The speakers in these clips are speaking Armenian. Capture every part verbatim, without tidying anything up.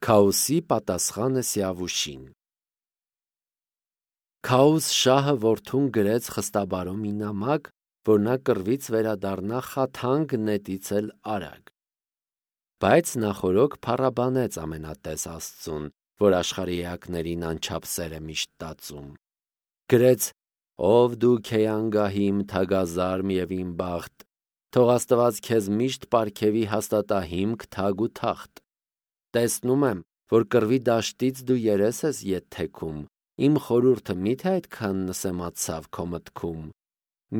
Քաոսի պատասխանը Սիավուշին։ Քաոս շահը որդուն գրեց խստաբարո մի նամակ, որ նա կռվից վերադառնա խաթանք նետից էլ արագ։ Բայց նախորոք փառաբանեց ամենատես Աստծուն, որ աշխարհի էակներին անչափ սեր է միշտ տածում։ Գրեց. «Ով դու քեյանգահիմ թագազարմ եւ իմ բախտ, թող Աստված քեզ միշտ պարգևի հաստատա հիմք թագ ու թախտ։ Տեսնում եմ, որ կռվի դաշտից դու երես ես ետ թեքում, իմ խորհուրդը միթե այդքան նսեմացավ քո մտքում։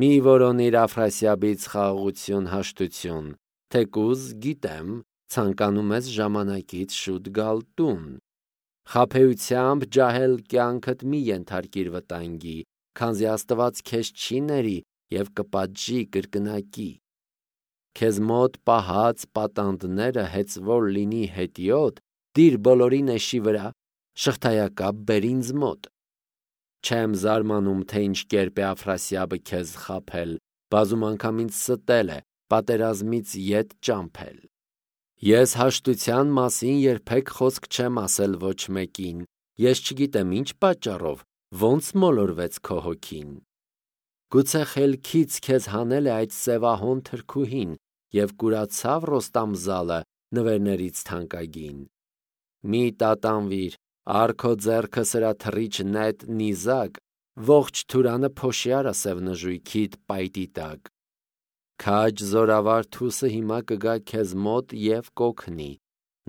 Մի որոնիր Աֆրասիաբից խաղաղություն հաշտություն, թեկուզ գիտեմ, ցանկանում ես ժամանակից շուտ գալ տուն։ Խաբեությամբ ջահել կյանքդ մի ենթարկիր վտանգի, քանզի Աստված քեզ չի ների եւ կպատժի կրկնակի։ Քեզ մոտ պահած պատանդները հեծվոր լինի հետիոտ, դիր բոլորի նեշի վրա, շղթայակապ բեր ինձ մոտ։ Չեմ զարմանում, թե ինչ կերպ է Աֆրասիաբը քեզ խաբել, բազում անգամ ինձ ստել է, պատերազմից ետ ճամփել։ Ես հաշտության մասին երբեք խոսք չեմ ասել ոչ մեկին, ես չգիտեմ ինչ պատճառով, ոնց մոլորվեց քո հոգին։ Գուցե խելքից քեզ հանել է այդ սևահոն թրքուհին եւ կուրացավ Ռոստամզալը նվերներից թանկագին։ Մի տատանվիր, առ քո ձեռքը սրա թռիչ նետ նիզակ, ողջ Թուրանը փոշի արա սև նժույգիդ պայտի տակ։ Քաջ զորավար թուսը հիմա կգա քեզ մոտ եւ կօգնի,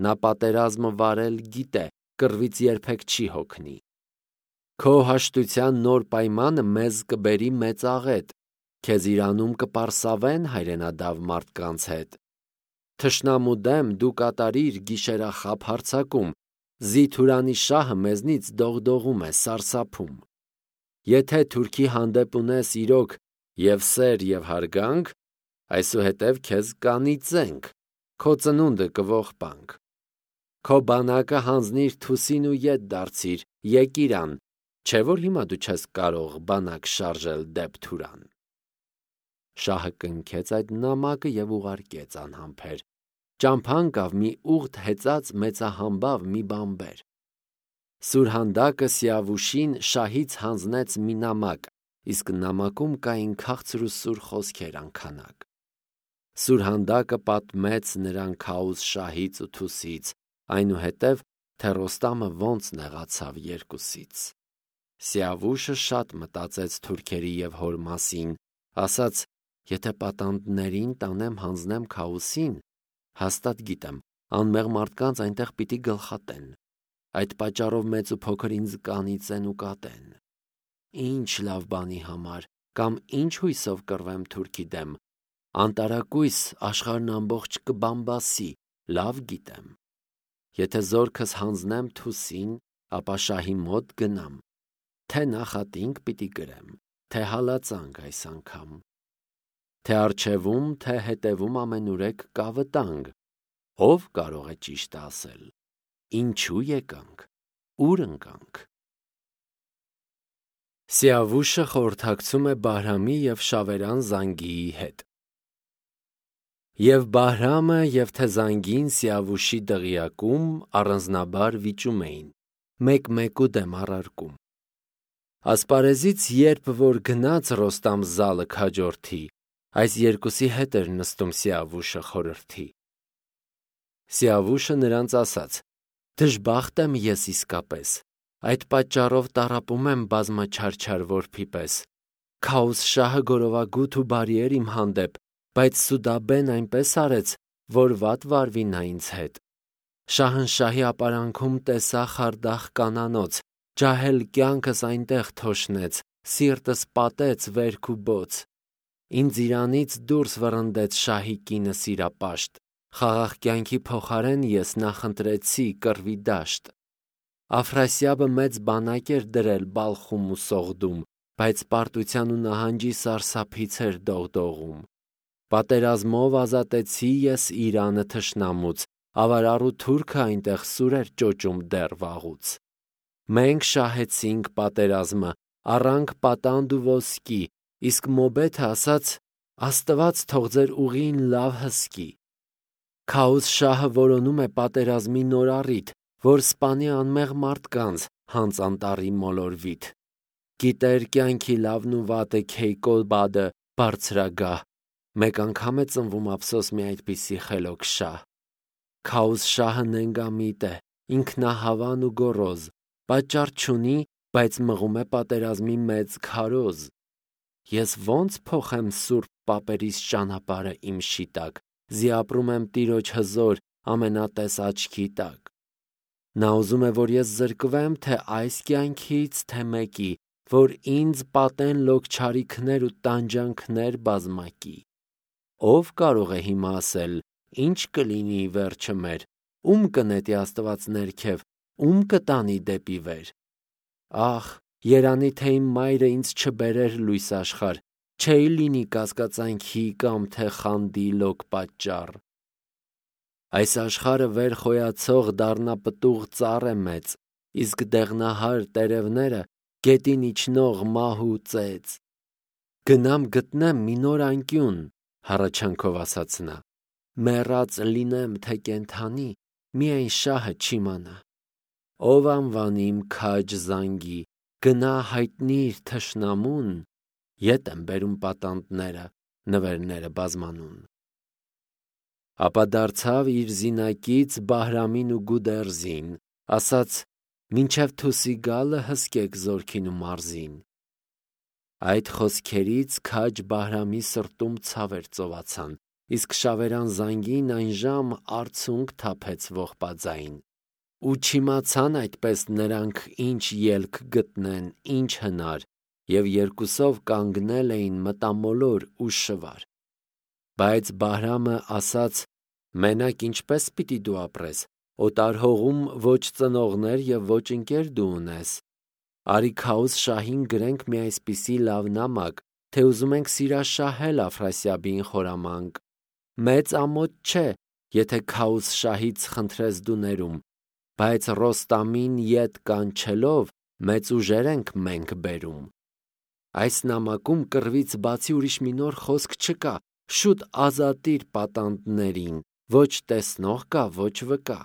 նա պատերազմը վարել գիտե, կռվից երբեք չի հոգնի։ Քո հաշտության նոր պայմանը մեզ կբերի մեծ աղետ, քեզ իրանում կպարսավեն հայրենադավ մարդկանց հետ։ Թշնամու դեմ դու կատարիր գիշերախաբ հարձակում, զի Թուրանի շահը մեզնից դողդողում է, սարսափում։ Եթե թուրքի հանդեպ ունես իրոք եւ սեր եւ հարգանք, այսուհետև քեզ կանիծենք, քո ծնունդը կողբանք։ Քո բանակը հանձնիր թուսին ու ետ դարձիր, եկ իրան, չէ որ հիմա դու չես կարող բանակ շարժել դեպ Թուրան։ Շահը կնքեց այդ նամակը եւ ուղարկեց անհամբեր։ Ճամփան կավ մի ուղտ հեծած մեծահամբավ մի բանբեր։ Սուրհանդակը Սիավուշին շահից հանձնեց մի նամակ, իսկ նամակում կային քաղցր ու սուր խոսքեր անքանակ։ Սուրհանդակը պատմեց նրան Քաոս շահից ու թուսից, այնուհետև թե Ռոստամը ոնց նեղացավ երկուսից։ Սիավուշը շատ մտածեց թուրքերի եւ հոր մասին, ասաց. եթե պատանդներին տանեմ հանձնեմ Քաոսին, հաստատ գիտեմ, անմեղ մարդկանց այնտեղ պիտի գլխատեն, այդ պատճառով մեծ ու փոքր ինձ կանիծեն ու կատեն։ Ինչ լավ բանի համար, կամ ինչ հույսով կռվեմ թուրքի դեմ, անտարակույս աշխարհն ամբողջ կբամբասի, լավ գիտեմ։ Եթե զորքս հանձնեմ թուսին, ապա շահի մոտ գնամ, թե նախատինք պիտի գրեմ, թե հալածանք այս անգամ, թե առջևում, թե հետևում ամենուրեք կա վտանգ, ով կարող է ճիշտը ասել, ինչու եկանք, ուր ընկանք։ Սիավուշը խորհրդակցում է Բահրամի եւ Շավերան Զանգիի հետ։ Եվ Բահրամը եւ թե Զանգին Սիավուշի դղիակում առանձնաբար վիճում էին, մեկ-մեկու դեմ առարկում։ Ասպարեզից երբ որ գնաց Ռոստամզալը քաջորդի, այս երկուսի հետ էր նստում Սիավուշը խորհրդի։ Սիավուշը նրանց ասաց. «Դժբախտ եմ ես իսկապես, այդ պատճառով տառապում եմ բազմաչարչար որբի պես։ Քաոս շահը գորովագութ ու բարի էր իմ հանդեպ, բայց Սուդաբեն այնպես արեց, որ վատ վարվի նա ինձ հետ։ Շահնշահի ապարանքում տեսա խարդախ կանանոց, ջահել կյանքս այնտեղ թոշնեց, սիրտս պատեց վերք ու բոց։ Ինձ իրանից դուրս վռնդեց շահի կինը սիրապաշտ, խաղաղ կյանքի փոխարեն ես նախընտրեցի կռվի դաշտ։ Աֆրասիաբը մեծ բանակ էր դրել Բալխում ու Սողդում, բայց պարտության ու նահանջի սարսափից էր դողդողում։ Պատերազմով ազատեցի ես Իրանը թշնամուց, ավարառ ու թուրքը այնտեղ սուր էր ճոճում դեռ վաղուց։ Մենք շահեցինք պատերազմը, առանք պատանդ ու ոսկի, իսկ Մոբեթը ասաց. Աստված թող ձեր ուղին լավ հսկի։ Քաոս շահը որոնում է պատերազմի նոր առիթ, որ սպանի անմեղ մարդկանց հանց անտառի մոլորվիթ։ Գիտեր կյանքի լավն ու վատը քեյկո բադը բարձրագահ, մեկ անգամ է ծնվում ափսոս մի այդպիսի խելոք շահ։ Քաուս շահը նենգամիտ է, ինքնահավան ու գոռոզ, պատճառ չունի, բայց մղում է պատերազմի մեծ քարոզ։ Ես ո՞նց փոխեմ սուրբ պապերիս ճանապարհը իմ շիտակ, զի ապրում եմ տիրոջ հզոր ամենատես աչքի տակ։ Նա ուզում է, որ ես զրկվեմ թե այս կյանքից, թե մեկի, որ ինձ պատեն լոգչարիքներ ու տանջանքներ բազմակի։ Ո՞վ կարող է հիմա ասել, ինչ կլինի վերջը մեր, ում կնետի Աստված ներքև, ում կտանի դեպի վեր։ Ախ, երանի թե իմ մայրը ինձ չբերեր լույս աշխարհ, չէի լինի կասկածանքի կամ թե խանդի լոկ պատճառ։ Այս աշխարհը վեր խոյացող դառնա պտուղ ծառ է մեծ, իսկ դեղնահար տերևները գետին իջնող մահ ու ծեծ։ Գնամ գտնեմ մի նոր անկյուն, հառաչանքով ասաց նա, մեռած լինեմ թե կենդանի, միայն շահը չիմանա։ Ով անվանի իմ քաջ զանգի, գնա հայտնիր թշնամուն, ետ եմ բերում պատանդները, նվերները բազմանուն։ Ապա դարձավ իր զինակից Բահրամին ու Գուդերզին, ասաց. մինչև թուսի գալը հսկեք զորքին ու մարզին։ Այդ խոսքերից քաջ Բահրամի սրտում ցավեր ծովացան, իսկ շավերան զանգին այն ժամ արցունք թափեց ողբաձայն։ Ու չիմացան այդպես նրանք ինչ ելք գտնեն, ինչ հնար, և երկուսով կանգնել էին մտամոլոր ու շվար։ Բայց Բահրամը ասաց. մենակ ինչպես պիտի դու ապրես, օտար հողում ոչ ծնողներ և ոչ ընկեր դու ունես։ Արի Քաուս շահին գրենք մի այսպիսի լավ նամակ, թե ուզում ենք սիրաշահել Աֆրասիաբին խորամանկ։ Մեծ ամոթ չէ, եթե Քաուս շահից խնդրես դու ներում, բայց Ռոստամին ետ կանչելով մեծ ուժեր ենք մենք բերում։ Այս նամակում կռվից բացի ուրիշ մի նոր խոսք չկա, շուտ ազատիր պատանդներին, ոչ տեսնող կա, ոչ վկա։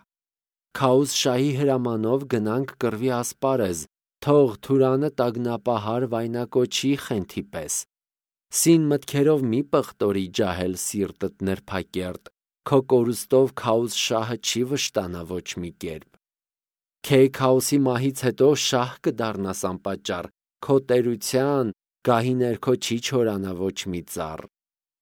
Քաուս շահի հրամանով գնանք կռվի ասպարեզ, թող Թուրանը տագնապահար վայնակոչի խենթի պես։ Սին մտքերով մի պղտորի ջահել սիրտդ նրբակերտ, քո կորուստով Քաուս շահը չի վշտանա ոչ մի կերպ։ Քեյ Քաուսի մահից հետո շահ կդառնաս անպատճառ, քո տերության գահի ներքո չի չորանա ոչ մի ծառ։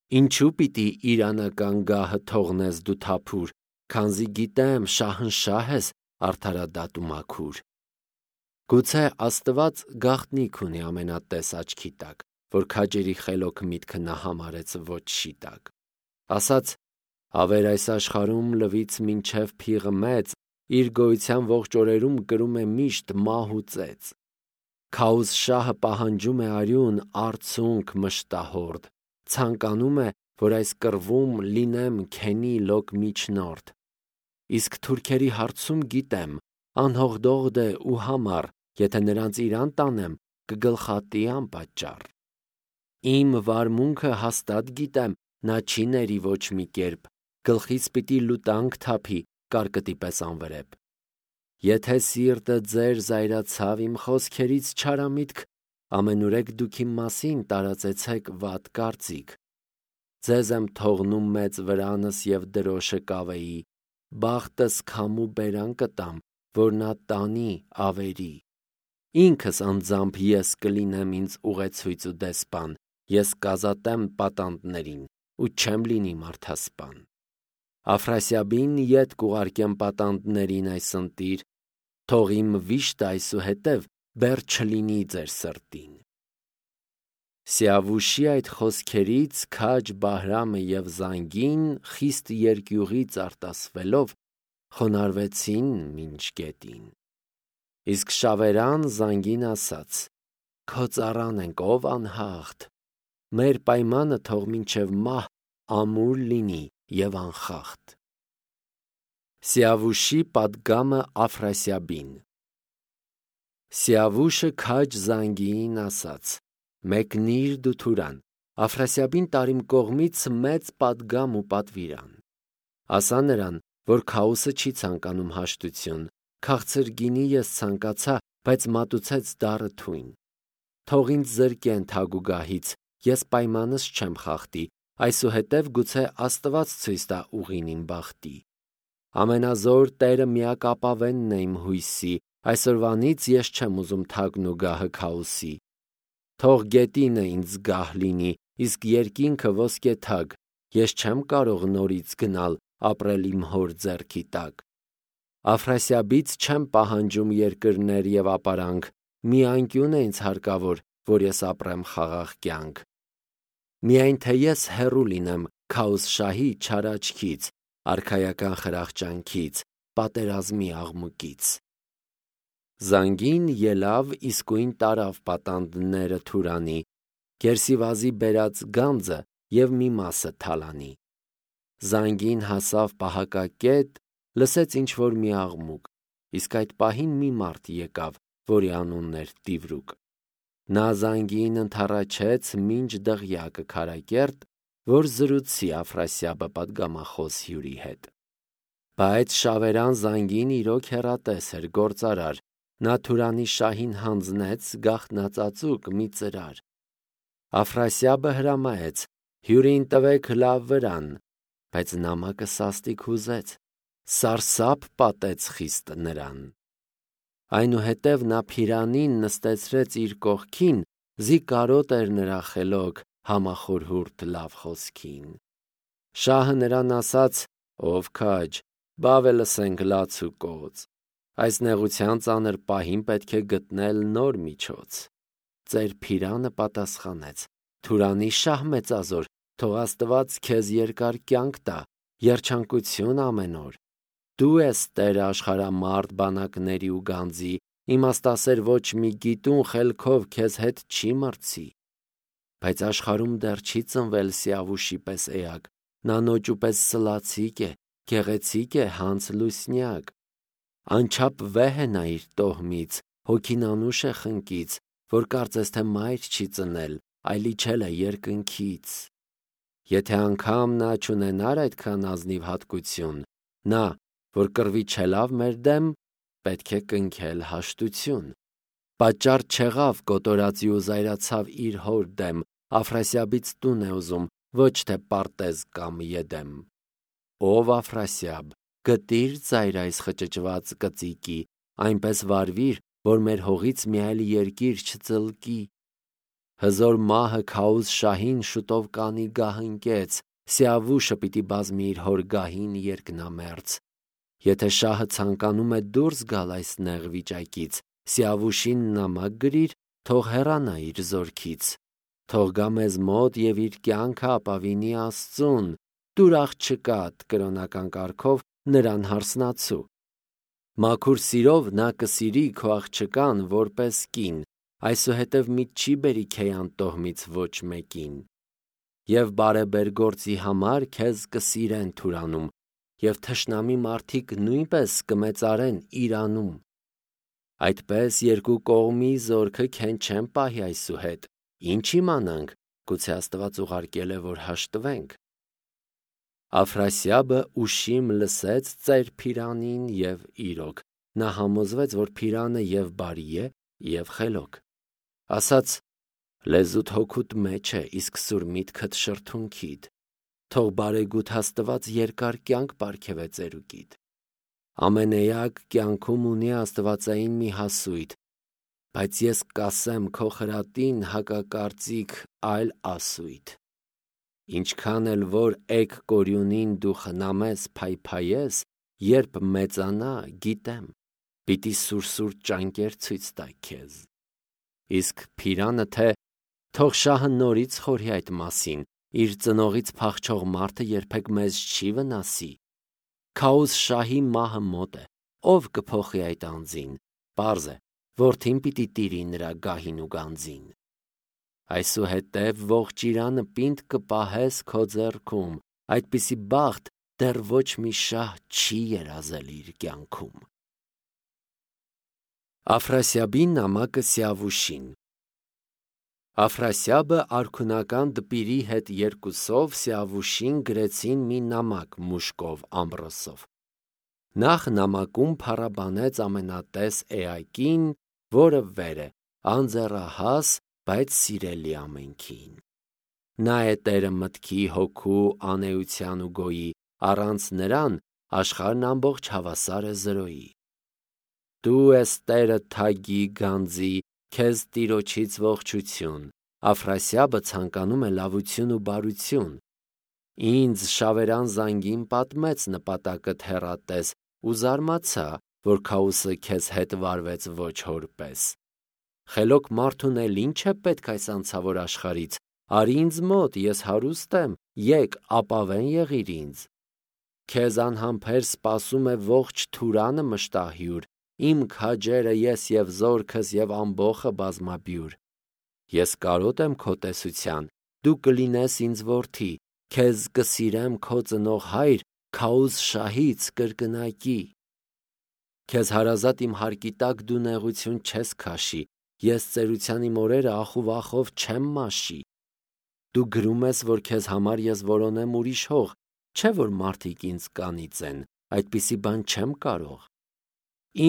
Ինչու պիտի իրանական գահը թողնես դու թափուր, քանզի գիտեմ շահնշահ ես արդարադատ ու մաքուր։ Գուցե Աստված գաղտնիք ունի ամենատես աչքի տակ, որ քաջերի խելոք միտքը նա համարեց ոչ շիտակ։ Ասաց. ավեր այս աշխարհում լվից մինչև փիղը մեծ, իր գոյության ողջ օրերում կրում է միշտ մահ ու ծեծ։ Քաուս շահը պահանջում է արյուն, արցունք մշտահորդ, ցանկանում է, որ այս կռվում լինեմ քենի լոկ միջնորդ։ Իսկ թուրքերի հարցում գիտեմ, անհողդողդ է ու համառ, եթե նրանց իրան տանեմ, կգլխատի անպատճառ։ Իմ վարմունքը հաստատ գիտեմ, նա չի ների ոչ մի կերպ, գլխից պիտի լուտանք թափի, կարկտի պես անվրեպ։ Եթե սիրտը ձեր զայրացավ իմ խոսքերից չարամիտք, ամենուրեք դուք իմ մասին տարածեցեք վատ կարծիք։ Ձեզ եմ թողնում մեծ վրանս և դրոշը կավեի, բախտս քամու բերան կտամ, որ նա տանի ավերի։ Ինքս անձամբ ես կլինեմ ինձ ուղեցույց ու դեսպան, ես կազատեմ պատանդներին ու չեմ լինի մարդասպան։ Աֆրասիաբին ետ կուղարկեմ պատանդներին այս ընտիր, թող իմ վիշտը այսուհետև բեռ չլինի ձեր սրտին։ Սիավուշի այդ խոսքերից քաջ Բահրամը և զանգին խիստ երկյուղից արտասվելով խոնարհվեցին մինչ գետին։ Իսկ շավերան զանգին ասաց. քո ծառան ենք, ով անհաղթ, մեր պայմանը թող մինչև մահ ամուր լինի և անխախտ։ Սիավուշի պատգամը Աֆրասիաբին։ Սիավուշը քաջ զանգիին ասաց. մեկնիր դու Թուրան, Աֆրասիաբին տարիմ կողմից մեծ պատգամ ու պատվիրան։ Ասա նրան, որ Քաուսը չի ցանկանում հաշտություն, Քաղցր գինի ես ցանկացա, բայց մատուցեց դառը թույն։ Թող ինձ զրկեն թագուգահից, ես պայմանս չեմ խախտի, այսուհետև գուցե Աստված ցույց տա ուղին իմ բախտի։ Ամենազոր Տերը միակ ապավենն է իմ հույսի, այսօրվանից ես չեմ ուզում թագն ու գահը քաոսի։ Թող գետինը ինձ գահ լինի, իսկ երկինքը ոսկե թագ, ես չեմ կարող նորից գնալ, ապրել իմ հոր ձեռքի տակ։ Աֆրասիաբից չեմ պահանջում երկրներ և ապարանք, մի անկյուն է ինձ հարկավոր, որ ես ապրեմ խաղաղ կյանք։ Միայն թե ես հեռու լինեմ քաոս շահի չար աչքից, արքայական խրախճանքից, պատերազմի աղմուկից։ Զանգին ելավ իսկույն տարավ պատանդները Թուրանի, Կերսիվազի բերած գանձը և մի մասը թալանի։ Զանգին հասավ պահակակետ, լսեց ինչ-որ մի աղմուկ, իսկ այդ պահին մի մարդ եկավ, որի անունն էր Տիվրուկ։ Նա զանգին ընդառաջեց մինչ դղյակը քարակերտ, որ զրուցի Աֆրասիաբը պատգամախոս հյուրի հետ։ Բայց շավերան զանգին իրոք հեռատես էր, գործարար, նա Թուրանի շահին հանձնեց գաղտնածածուկ մի ծրար։ Աֆրասիաբը հրամայեց. հյուրին տվեք լավ վրան, բայց նամակը սաստիկ հուզեց, սարսափ պատեց խիստ նրան։ Այնուհետև նա Փիրանին նստեցրեց իր կողքին, զի կարոտ էր նրա խելոք, համախորհուրդ լավ խոսքին։ Շահը նրան ասաց. «Ով քաջ, բավ է լսենք լաց ու կոծ, այս նեղության ծանր պահին պետք է գտնել նոր միջոց»։ Ծեր Փիրանը պատասխանեց. «Թուրանի շահ մեծազոր, թող Աստված քեզ երկար կյանք տա, երջանկություն ամեն օր։ Դու ես Տեր աշխարհամարդ բանակների ու գանձի, իմաստասեր ոչ մի գիտուն խելքով քեզ հետ չի մրցի։ Բայց աշխարհում դեռ չի ծնվել Սիավուշի պես էակ, նա նոճու պես սլացիկ է, գեղեցիկ է, հանց լուսնյակ։ Անչափ վեհ է նա իր տոհմից, հոգին անուշ է խնկից, որ կարծես թե մայր չի ծնել, այլ իջել է երկնքից։ Եթե անգամ նա չունենար այդքան ազնիվ հատկություն, նա, որ կռվի չելավ մեր դեմ, պետք է կնքել հաշտություն։ Պատճառ չեղավ կոտորածի ու զայրացավ իր հոր դեմ, Աֆրասիաբից տուն է ուզում, ոչ թե պարտեզ կամ եդեմ։ Ով Աֆրասիաբ, գտիր ծայր այս խճճված կծիկի, այնպես վարվիր, որ մեր հողից մի այլ երկիր չծլկի։ Հզոր մահը քաուս շահին շուտով կանի գահընկեց, Սիավուշը պիտի բազմի իր հոր գահին երկնամերձ։ Եթե շահը ցանկանում է դուրս գալ այս նեղ վիճակից, Սիավուշին նամակ գրիր, թող հեռանա իր զորքից։ Թող գա մեզ մոտ և իր կյանքը ապավինի Աստծուն, տուր աղջկադ կրոնական կարգով նրան հարսնացու։ Մաքուր սիրով նա կսիրի քո աղջկան որպես կին, այսուհետև մի չի բերի քեյան տոհմից ոչ մեկին։ Եվ բարեբեր գործի համար քեզ կսիրեն Թուրանում, և թշնամի մարդիկ նույնպես կմեծարեն իրանում։ Այդպես երկու կողմի զորքը քեն չեն պահի այսուհետ, ինչ իմանանք, գուցե Աստված ուղարկել է, որ հաշտվենք։ Աֆրասիաբը ուշիմ լսեց ծեր Փիրանին և իրոք, նա համոզվեց, որ Փիրանը և բարի է, և խելոք։ Ասաց. լեզուդ հոգուդ մեջ է, իսկ սուր միտքդ շրթունքիդ, թող բարեգութ Աստված երկար կյանք պարգևե ծերուկիդ։ Ամենեակ կյանքում ունի աստվածային մի հասույթ, բայց ես կասեմ քո խրատին հակակարծիք այլ ասույթ։ Ինչքան էլ որ էգ կորյունին դու խնամես, փայփայես, երբ մեծանա, գիտեմ, պիտի սուր-սուր ճանկեր ցույց տա քեզ։ Իսկ Փիրանը թե, թող շահը նորից խորհի այդ մասին, իր ծնողից փախչող մարդը երբեք մեզ չի վնասի։ Քաոս շահի մահը մոտ է, ով կփոխի այդ անձին, պարզ է, որդին պիտի տիրի նրա գահին ու գանձին։ Այսուհետև ողջ Իրանը պինդ կպահես քո ձեռքում, այդպիսի բախտ դեռ ոչ մի շահ չի երազել իր կյանքում։ Աֆրասիաբի նամակը Սիավուշին։ Աֆրասիաբը արքունական դպիրի հետ երկուսով Սիավուշին գրեցին մի նամակ մուշկով ամրոսով։ Նախ նամակում փառաբանեց ամենատես էակին, որը վեր է, անձեռահաս, բայց սիրելի ամենքին։ Նա է Տերը մտքի, հոգու, անեության ու գոյի, առանց նրան աշխարհն ամբողջ հավասար է զրոյի։ Դու ես Տերը թագի, գանձի, քեզ Տիրոջից ողջություն, Աֆրասիաբը ցանկանում է լավություն ու բարություն։ Ինձ շավերան զանգին պատմեց նպատակդ հեռատես ու զարմացա, որ Քաոսը քեզ հետ վարվեց ոչ հոր պես։ Խելոք մարդուն էլ ինչ է պետք այս անցավոր աշխարից, արի ինձ մոտ, ես հարուստ եմ, եկ ապավեն եղիր ինձ։ Քեզ անհամբեր սպասում է ողջ Թուրանը մշտահյուր, իմ քաջերը ես և զորքս և ամբոխը բազմաբյուր։ Ես կարոտ եմ քո տեսության, դու կլինես ինձ որդի, քեզ կսիրեմ քո ծնող հայր, Քաոս շահից կրկնակի։ Քեզ հարազատ իմ հարկի տակ դու նեղություն չես քաշի, ես ծերության իմ օրերը ախ ու վախով չեմ մաշի։ Դու գրում ես, որ քեզ համար ես որոնեմ ուրիշ հող, չէ՞ որ մարդիկ ինձ կանից են, այդպիսի բան չեմ կարող։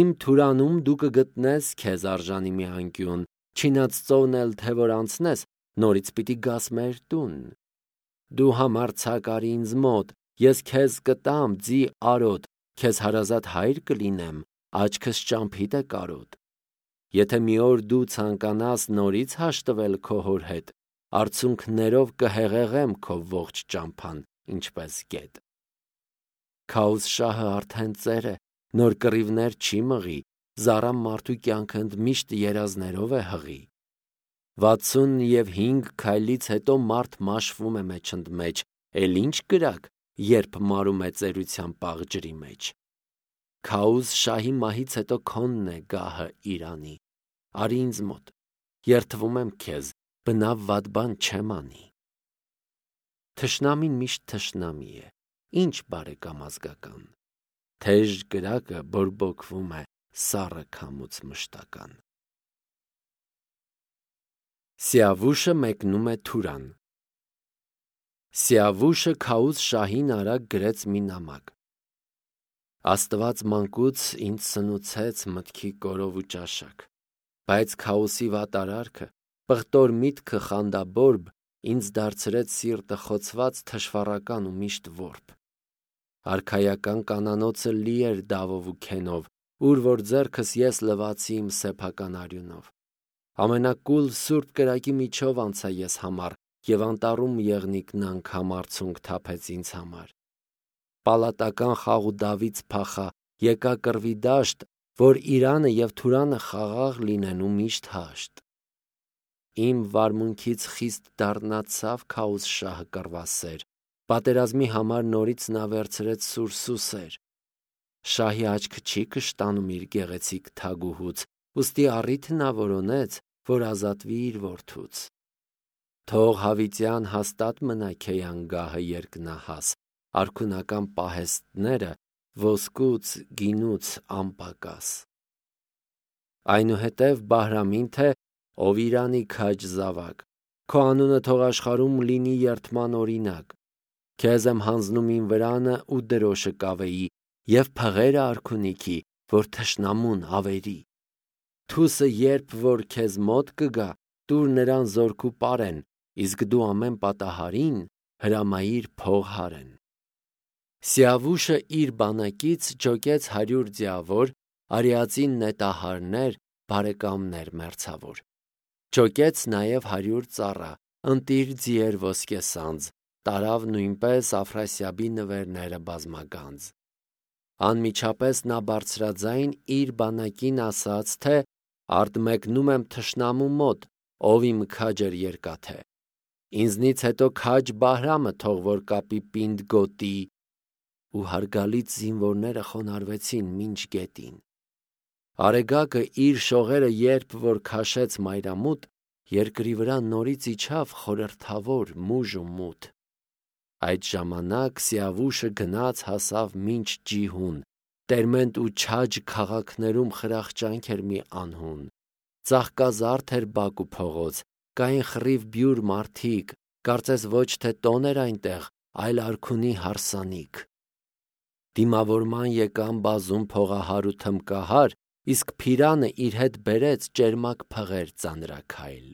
Իմ Թուրանում դու կգտնես քեզ արժանի մի անկյուն, չինած ծովն էլ թե որ անցնես, նորից պիտի գաս մեր տուն։ Դու համարձակ արի ինձ մոտ, ես քեզ կտամ ձի արոտ, քեզ հարազատ հայր կլինեմ, աչքս ճամփիդ է կարոտ։ Եթե մի օր դու ցանկանաս նորից հաշտվել քո հոր հետ, արցունքներով կհեղեղեմ քո ողջ ճամփան, ինչպես գետ։ Քաոս շահը արդեն ծեր է, նոր կռիվներ չի մղի, զառամ մարդու կյանքը ընդմիշտ երազներով է հղի։ Վաթսուն և հինգ քայլից հետո մարդ մաշվում է մեջ ընդմեջ, էլ ինչ կրակ, երբ մարում է ծերության պաղ ջրի մեջ։ Քաոս շահի մահից հետո քոնն է գահը Իրանի, արի ինձ մոտ, երդվում եմ քեզ, բնավ վատ բան չեմ անի։ Թշնամին միշտ թշնամի է, ինչ բարեկամ ազգական, թեժ կրակը բորբոքվում է սառը քամուց մշտական։ Սիավուշը մեկնում է Թուրան։ Սիավուշը Քաոս շահին արագ գրեց մի նամակ. Աստված մանկուց ինձ սնուցեց մտքի կորով ու ճաշակ, բայց Քաոսի վատարարքը, պղտոր միտքը խանդաբորբ, ինձ դարձրեց սիրտը խոցված թշվառական ու միշտ որբ։ Արքայական կանանոցը լի էր դավով ու քենով, ուր որ ձեռքս ես լվացի իմ սեփական արյունով։ Ամենակուլ սուրբ կրակի միջով անցա ես համար, և անտառում եղնիկն անգամ արցունք թափեց ինձ համար։ Պալատական խաղ ու դավից փախա, եկա կռվի դաշտ, որ Իրանը և Թուրանը խաղաղ լինեն ու միշտ հաշտ։ Իմ վարմունքից խիստ դառնացավ Քաոս շահը կռվասեր, պատերազմի համար նորից նա վերցրեց սուրսուսեր։ Շահի աչքը չի կշտանում իր գեղեցիկ թագուհուց, ուստի առիթ նա որոնեց, որ ազատվի իր որդուց։ Թող հավիտյան հաստատ մնա քեյան գահը երկնահաս, արքունական պահեստները ոսկուց գինուց անպակաս։ Այնուհետև Բահրամին թե ով Իրանի քաջ զավակ, քո անունը թող աշխարհում լինի երդման օրինակ։ Քեզ եմ հանձնում իմ վրանը ու դրոշը կավեի և փղերը արքունիքի, որ թշնամուն ավերի։ Թուսը երբ որ քեզ մոտ կգա, տուր նրան զորք ու պարեն, իսկ դու ամեն պատահարին հրամայիր փող հարեն։ Սիավուշը իր բանակից ջոկեց հարյուր ձիավոր, արիածին նետահարներ, բարեկամներ մերձավոր։ Ջոկեց նաև հարյուր ծառա, ընտիր ձիեր ոսկեսանձ, տարավ նույնպես Աֆրասիաբի նվերները բազմագանձ։ Անմիջապես նա բարձրաձայն իր բանակին ասաց, թե արդ մեկնում եմ թշնամու մոտ, ով իմ քաջր երկաթե։ Ինձնից հետո քաջ Բահրամը թող որ կապի պինդ գոտի, ու հարգալից զինվորները խոնարհվեցին մինչ գետին։ Արեգակը իր շողերը երբ որ քաշեց մայրամուտ, երկրի վրա նորից իջավ խորհրդավոր մուժ ու մութ։ Այդ ժամանակ Սիավուշը գնաց հասավ մինչ Ջիհուն, Տերմենտ ու Չաջ քաղաքներում խրախճանք էր մի անհուն։ Ծաղկազարդ էր բակ ու փողոց, կային խռիվ բյուր մարդիկ, կարծես ոչ թե տոն էր այնտեղ, այլ արքունի հարսանիք։ Դիմավորման եկան բազում փողահար ու թմկահար, իսկ Փիրանը իր հետ բերեց ճերմակ փղեր ծանրաքայլ։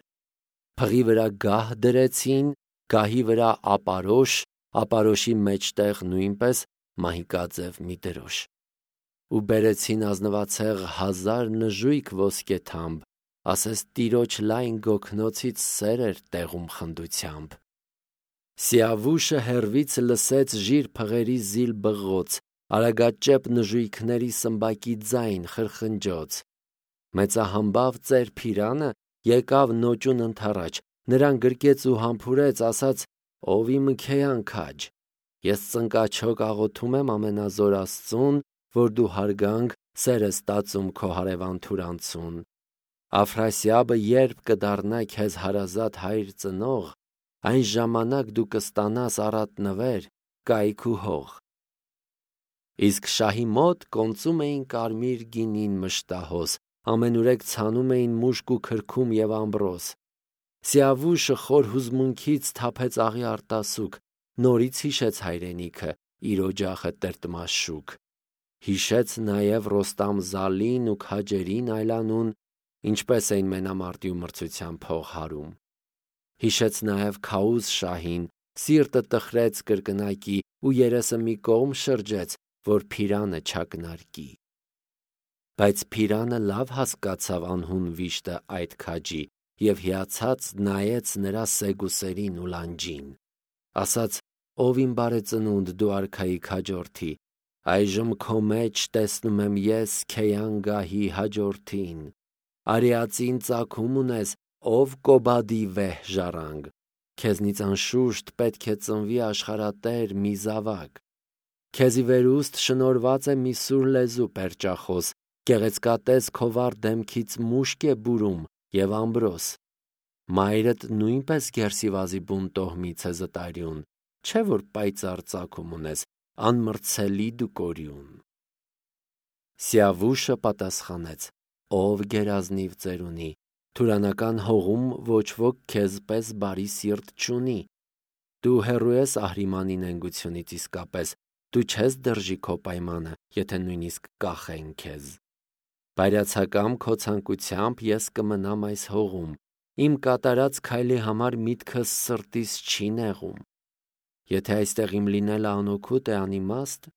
Փղի վրա գահ դրեցին, գահի վրա ապարոշ, ապարոշի մեջտեղ նույնպես մահիկաձև մի դրոշ։ Ու բերեցին ազնվացեղ հազար նժույգ ոսկեթամբ, ասես տիրոջ լայն գոգնոցից սեր էր տեղում խնդությամբ։ Սիավուշը հեռվից լսեց ժիր փղերի զիլ բղոց, արագաճեպ նժույգների սմբակի ձայն խրխնջոց։ Մեծահամբավ ծեր Փիրանը եկավ նոճուն ընդառաջ, նրան գրկեց ու համբուրեց, ասաց. «Ով իմ քեյան քաջ, ես ծնկաչոք աղոթում եմ ամենազոր Աստծուն, որ դու հարգանք սեր ես տածում քո հարևան թուրանցուն։ Աֆրասիաբը երբ կդառնա քեզ հարազատ հայր ծնող, այն ժամանակ դու կստանաս առատ նվեր, կայք ու հող»։ Իսկ շահի մոտ կոնծում էին կարմիր գինին մշտահոս, ամենուրեք ցանում էին մուշկ ու քրքում և ամբրոս։ Սիավուշը խոր հուզմունքից թափեց աղի արտասուք, նորից հիշեց հայրենիքը, իր օջախը տրտմաշուք։ Հիշեց նաև Ռոստամ-Զալին ու քաջերին այլանուն, ինչպես էին մենամարտի ու մրցության փող հարում։ Հիշեց նաև Քաուզ շահին, սիրտը տխրեց կրկնակի ու երեսը մի կողմ շրջեց, որ Փիրանը չակնարկի։ Բայց Փիրանը լավ հասկացավ անհուն վիշտը այդ քաջի և հիացած նայեց նրա սեգուսերին ու լանջին։ Ասաց. «Ով իմ բարեծնունդ, դու արքայի քաջորդի, այժմ քո մեջ տեսնում եմ ես քեյան գահի հաջորդին։ Արիածին ծագում ունես, ով Կոբադի վեհ ժառանգ, քեզնից անշուշտ պետք է ծնվի աշխարհատեր մի զավակ։ Քեզի վերուստ շնորհված է մի սուր լեզու պերճախոս, գեղեցկատես քո վառ դեմքից մուշկ է բուրում և ամբրոս։ Մայրդ նույնպես գերսիվազի բուն տոհմից է զտարյուն, չէ՞ որ պայծառ ծագում ունես, անմրցելի դու կորյուն»։ Սիավուշը պատասխանեց. «Ով գերազնիվ ծերունի, թուրանական հողում ոչ ոք քեզ պես բարի սիրտ չունի։ Դու հեռու ես Ահրիմանի նենգությունից իսկապես, դու չես դրժի քո պայմանը, եթե նույնիսկ կախեն քեզ։ Բայրացակամ քո ցանկությամբ ես կմնամ այս հողում, իմ կատարած քայլի համար միտքս սրտիս չի նեղում։ Եթե այստեղ իմ լինելը անօգուտ է, անիմաստ,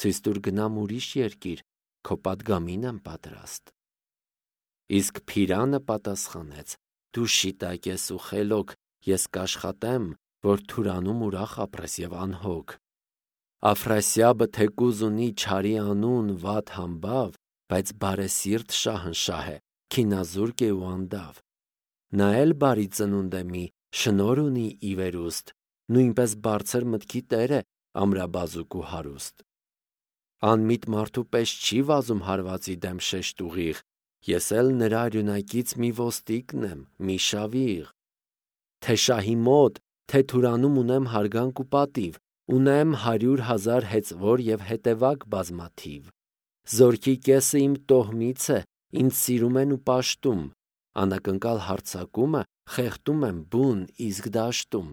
ցույց տուր գնամ ուրիշ երկիր, քո պատգամին եմ պատրաստ»։ Իսկ Փիրանը պատասխանեց. «Դու շիտակ ես ու խելոք, ես կաշխատեմ, որ թուրանում ուրախ ապրես և անհոգ։ Աֆրասիաբը թեկուզ ունի չարի անուն վատ համբավ, բայց բարեսիրտ շահնշահ է, քինազուրկ է ուանդավ։ Նա էլ բարի ծնունդ է մի, շնորհ ունի ի վերուստ, նույնպես բարձր մտքի տեր է, ամրաբազուկ ու հարուստ։ Անմիտ մարդու պես չի վազում հարվածի դեմ շեշտ ուղիղ, ես էլ նրա արյունակից մի ոստիկն եմ, մի շավիղ։ Թե շահի մոտ, թե թուրանում ունեմ հարգանք ու պատիվ, ունեմ հարյուր հազար հեծվոր և հետևակ բազմաթիվ։ Զորքի կեսը իմ տոհմից է, ինձ սիրում են ու պաշտում, անակնկալ հարձակումը խեղդում եմ բուն իսկ դաշտում։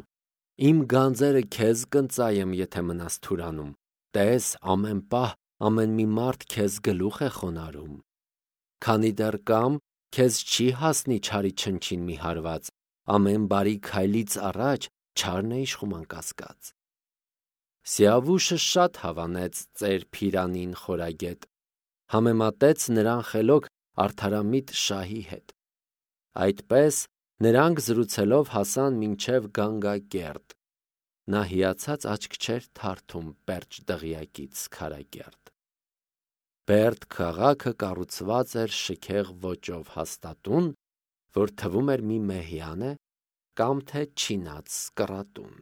Իմ գանձերը քեզ կընծայեմ, եթե մնաս թուրանում, տես, ամեն պահ ամեն մի մարդ քեզ գլուխ է խոնարհում։ Քանի դեռ կամ, քեզ չի հասնի չարի չնչին մի հարված, ամեն բարի քայլից առաջ չարն է իշխում անկասկած»։ Սիավուշը շատ հավանեց ծեր Փիրանին խորագետ, համեմատեց նրան խելոք արդարամիտ շահի հետ։ Այդպես նրանք զրուցելով հասան մինչև Գանգակերտ։ Նա հիացած աչք չէր թարթում Պերճ դղյակից քարակերտ։ Բերդ քաղաքը կառուցված էր շքեղ ոճով հաստատուն, որ թվում էր մի մեհյան է կամ թե չինած կռատուն։